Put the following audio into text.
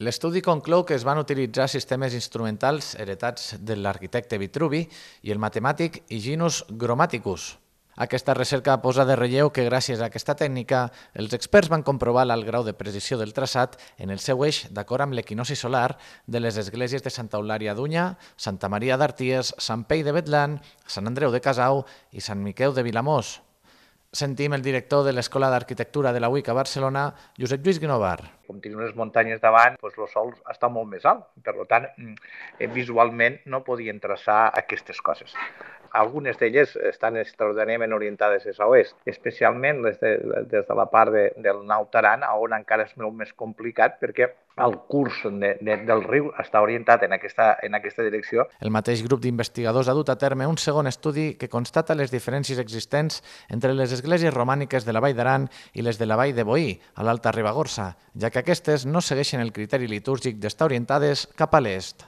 L'estudi conclou que es van utilitzar sistemes instrumentals heretats de l'arquitecte Vitruvi i el matemàtic Hyginus Grammaticus. Aquesta recerca posa de relleu que gràcies a aquesta tècnica els experts van comprovar l'alt grau de precisió del traçat en el seu eix d'acord amb l'equinoci solar de les esglésies de Santa Eulària d'Unya, Santa Maria d'Arties, Sant Pei de Betlan, Sant Andreu de Casau i Sant Miqueu de Vilamós. Sentim el director de l'Escola d'Arquitectura de la UIC a Barcelona, Josep Lluís Guinovar. Com tenim unes muntanyes davant, el sòl està molt més alt. Per tant, visualment no podien traçar aquestes coses. Algunes d'elles estan extraordinàriament orientades a l'oest, especialment des de la part del Naut Aran, on encara és molt més complicat perquè el curs del riu està orientat en aquesta direcció. El mateix grup d'investigadors ha dut a terme un segon estudi que constata les diferències existents entre les esglésies romàniques de la Vall d'Aran i les de la Vall de Boí, a l'Alta Ribagorça, ja que aquestes no segueixen el criteri litúrgic d'estar orientades cap a l'est.